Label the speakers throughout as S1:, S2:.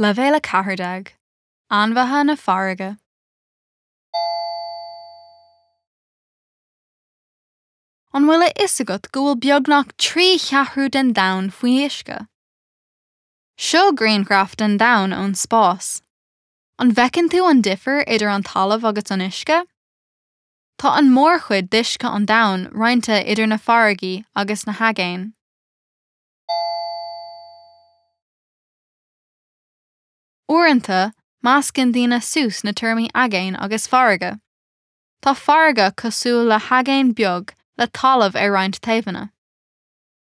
S1: Leibhéal 14, Ainmhithe na Farraige. An bhfuil a fhios agat go bhfuil beagnach 3 cheathrú den domhan faoi uisce? Seo grianghraf den domhan ón spás. An bhfeiceann tú an difear idir an talamh agus an uisce? Tá an mórchuid d'uisce an domhain roinnte idir na farraigí agus na haigéin. Uaireanta, meascann daoine suas na téarmaí aigéan agus farraige. Tá farraige cosúil le haigéan beag le talamh ar roinnt taobhanna.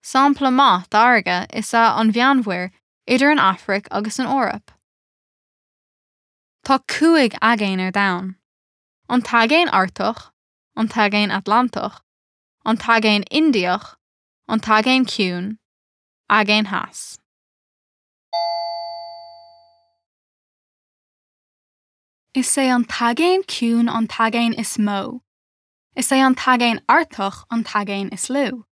S1: Sampla maith d'fharraige is ea an Mheánmhuir idir an Afraic agus an Eoraip. Tá 5 aigéan ar domhan. An tAigéan Artach, an tAigéan Atlantach, an tAigéan Indiach, an tAigéan Ciúin, Aigéan Theas. Is é an tAigéan Ciúin an t-aigéan is mó. Is é an tAigéan Artach an t-aigéan is lú.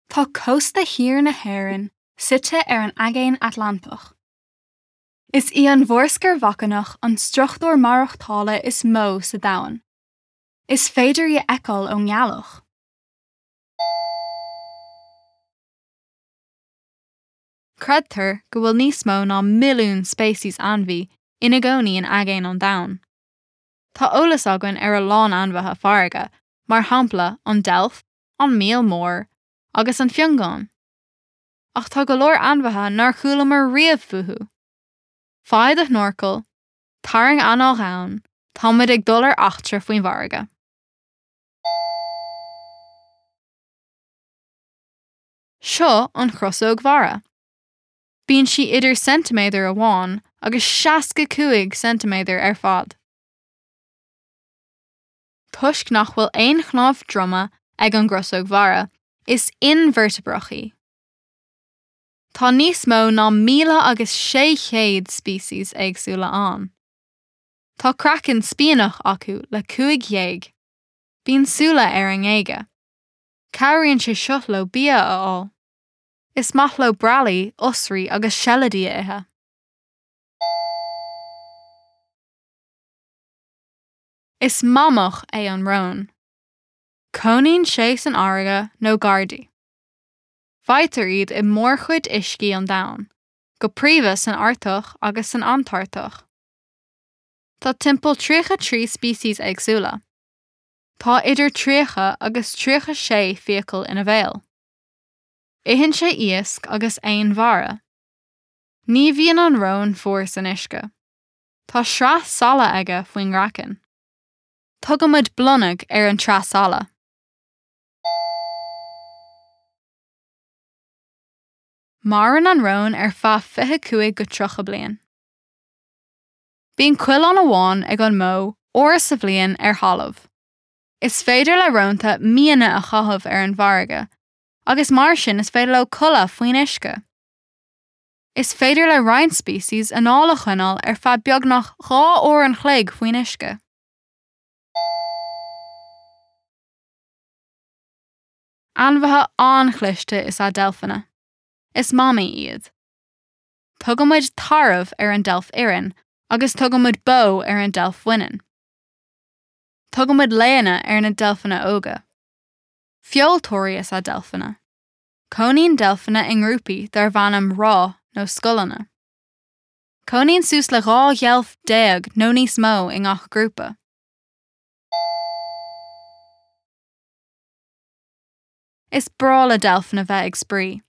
S1: Tá cósta thiar na hÉireann suite ar an Aigéan Atlantach. Is í an mhórsceir bhacainneach an struchtúr maireachtála is mó sa domhan. Is féidir í a fheiceáil ón nGealach. Creidtear go bhfuil níos mó ná milliún speiceas ainmhí ina gcónaí in aigéin an domhain. Tá eolas againn ar a lán ainmhithe farraige, mar shampla an deilf, an míol mór agus an fiongán. Ach tá go leor ainmhithe nár chualamar riamh fúthu. Faigh do shnorcal, tarraing anáil dhomhain, táimid ag dul ar eachtra faoin bhfarraige. Seo an chrosóg mhara. Bíonn sí idir ceintiméadar amháin agus 65 ceintiméadar ar fad. Toisc nach bhfuil aon chnámh droma ag an gcrosóg mhara, is inveirteabrach í. Tá níos mó ná 1,600 speiceas éagsúla ann. Tá craiceann spíonach acu le 5 ghéag. Bíonn súile ar a ngéaga. Cabhraíonn sé seo leo bia a fháil. Is maith leo breallaí, osraí agus seilidí a ithe. Is mamach é an rón. Cónaíonn sé san fharraige nó gar di. Faightear iad i mórchuid uiscí an domhain, go príomha san Artach agus san Antartach. Tá timpeall 33 speiceas éagsúla. Tá idir 30 agus 36 fiacail ina bhéal. Itheann sé iasc agus éin mhara. Ní bhíonn an rón fuar san uisce. Tá sraith saille aige faoin gcraiceann. Tugaimid blonag ar an tsraith saille. Maireann an rón ar feadh 25-30 bliain. Bíonn coileán amháin ag an mbó uair sa bhliain ar thalamh. Is féidir le rónta míonna a chaitheamh ar an bhfarraige agus mar sin is féidir leo codladh faoin uisce. Is féidir le roinnt speiceas anáil a choinneáil ar feadh beagnach 2 uair an chloig faoin uisce. Ainmhithe an-chliste is ea deilfeanna. Is mamaigh iad. Tugaimid tarbh ar an deilf fhireann agus tugaimid bó ar an deilf bhaineann. Tugaimid laonna ar na deilfeanna óga. Feoltóirí is ea deilfeanna. Cónaíonn deilfeanna i ngrúpaí darb ainm ráth nó scoileanna. Cónaíonn suas le 12 dheilf nó níos mó i ngach grúpa. Is breá le deilfeanna bheith ag spraoi.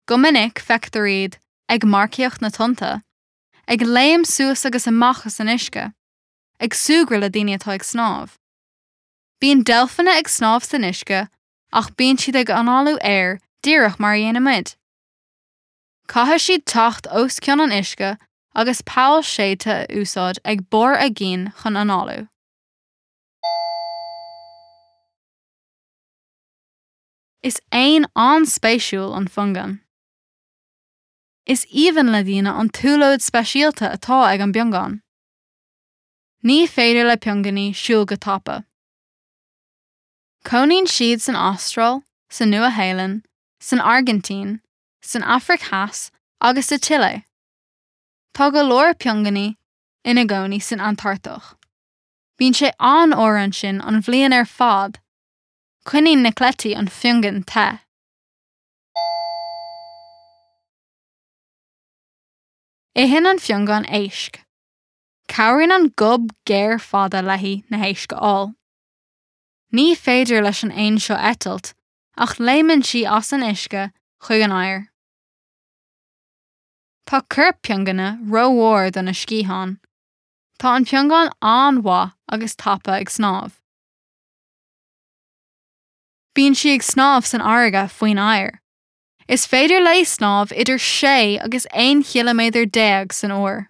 S1: Go minic, feictear iad ag marcaíocht na tonnta, ag léim suas agus amach as an uisce, ag súgradh le daoine atá ag snámh. Bíonn deilfeanna ag snámh san uisce ach bíonn siad ag análú aer díreach mar a dhéanann muid. Caithfidh siad teacht os cionn an uisce agus poll séidte a úsáid ag barr a gcinn chun análú. Is éan an-spéisiúil an fiongán. Is aoibhinn le daoine an tsiúlóid speisialta atá ag an bpiongán. Ní féidir le piongainí siúl go tapa. Cónaíonn siad san Astráil, sa Nua-Shéalainn, san Airgintín, san Afraic Theas agus sa tSile. Tá go leor piongainí ina gcónaí san Antartach. Bíonn sé an-fhuar ansin an bhliain ar fad. Coinníonn na cleití an phiongain te. Itheann an phiongain éisc. Cabhraíonn an gob géar fada léi na héisc a fháil. Ní féidir leis an éan seo eitilt ach léimeann sí as an uisce chuig an aer. Tá corp piongaine rómhór do na sciatháin. Tá an piongain an-mhaith agus tapa ag snámh. Bíonn sí ag snámh san fharraige faoin aer. Is féidir léi snámh idir 6 agus 11 chiliméadar san uair.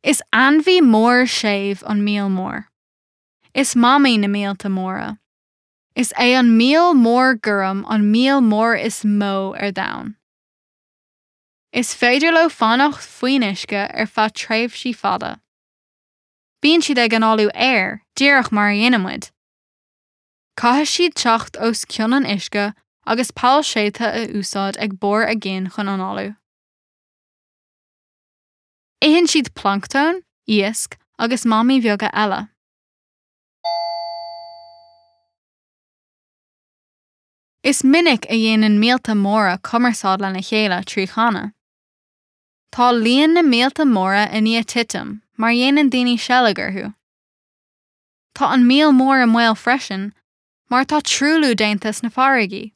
S1: Is ainmhí mór séimh an míol mór. Is mamaigh na míolta móra. Is é an míol mór gorm an míol mór is mó ar domhan. Is féidir leo fanacht faoin uisce ar feadh tréimhsí fada. Bíonn siad ag análú aer, díreach mar a dhéanann muid. Caithfidh siad teacht os cionn an uisce agus poll séidte a úsáid ag barr a gcinn chun análú. Itheann siad planctón, iasc agus mamaigh bheaga eile. Is minic a dhéanann míolta móra cumarsáid lena chéile trí chanadh. Tá líon na míolta móra i ndiaidh titim mar dhéanann daoine seilg orthu. Tá an míol mór i mbaol freisin mar tá truailliú déanta sna farraigí.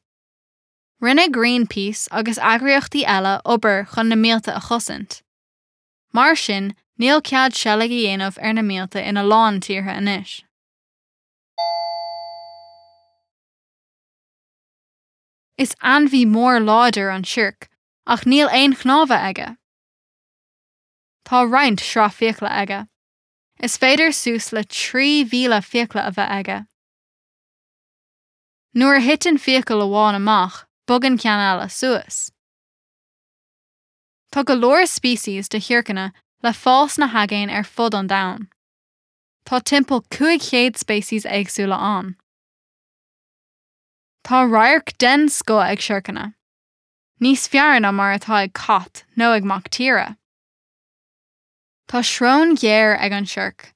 S1: Rinne Greenpeace agus eagraíochtaí eile obair chun na míolta a chosaint. Mar sin, níl cead seilg a dhéanamh ar na míolta ina lán tíortha anois. Is ainmhí mór láidir an siorc ach níl aon chnámha aige. Tá roinnt sraith fiacla aige. Is féidir suas le 3,000 fiacla a bheith aige. Nuair a thiteann fiacail amháin amach, bogann ceann eile suas. Tá go leor species de shiorcanna le fáil sna haigéin ar fud an domhain. Tá timpeall 500 speiceas éagsúla ann. Tá radharc den scoth ag siorcanna. Níos fearr ná mar atá ag cat nó ag mac tíre. Tá srón ghéar ag an siorc.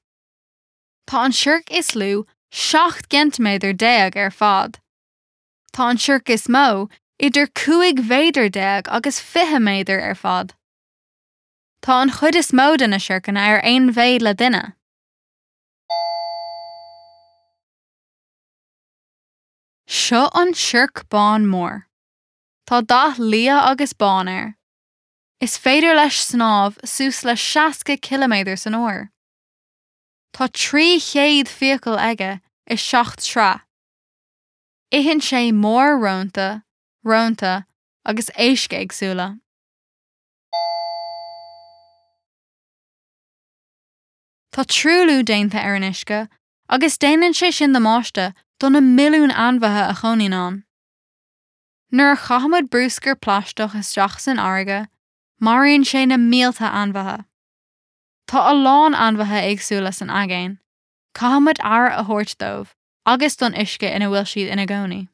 S1: Tá an siorc is lú 17 gceintiméadar ar fad. Tá an siorc is mó idir 15 mhéadar agus 20 méadar ar fad. Tá an chuid is mó de na siorcanna ar aon mhéid le duine. Seo an siorc bán mór. Tá dath liath agus bán air. Is féidir leis snámh suas le 60 ciliméadar san uair. Tá 300 fiacail aige i 7 sraith. Itheann sé mór-rónta, rónta agus éisc éagsúla. Tá truailliú déanta ar an uisce agus déanann sé sin damáiste do na milliúin ainmhithe a chónaíonn ann. Nuair a chaithimid bruscar plaisteach isteach san fharraige, maraíonn sé na mílte ainmhithe. Tá a lán ainmhithe éagsúla san aigéan, caithfimid aire a thabhairt dóibh agus don uisce ina bhfuil siad ina gcónaí.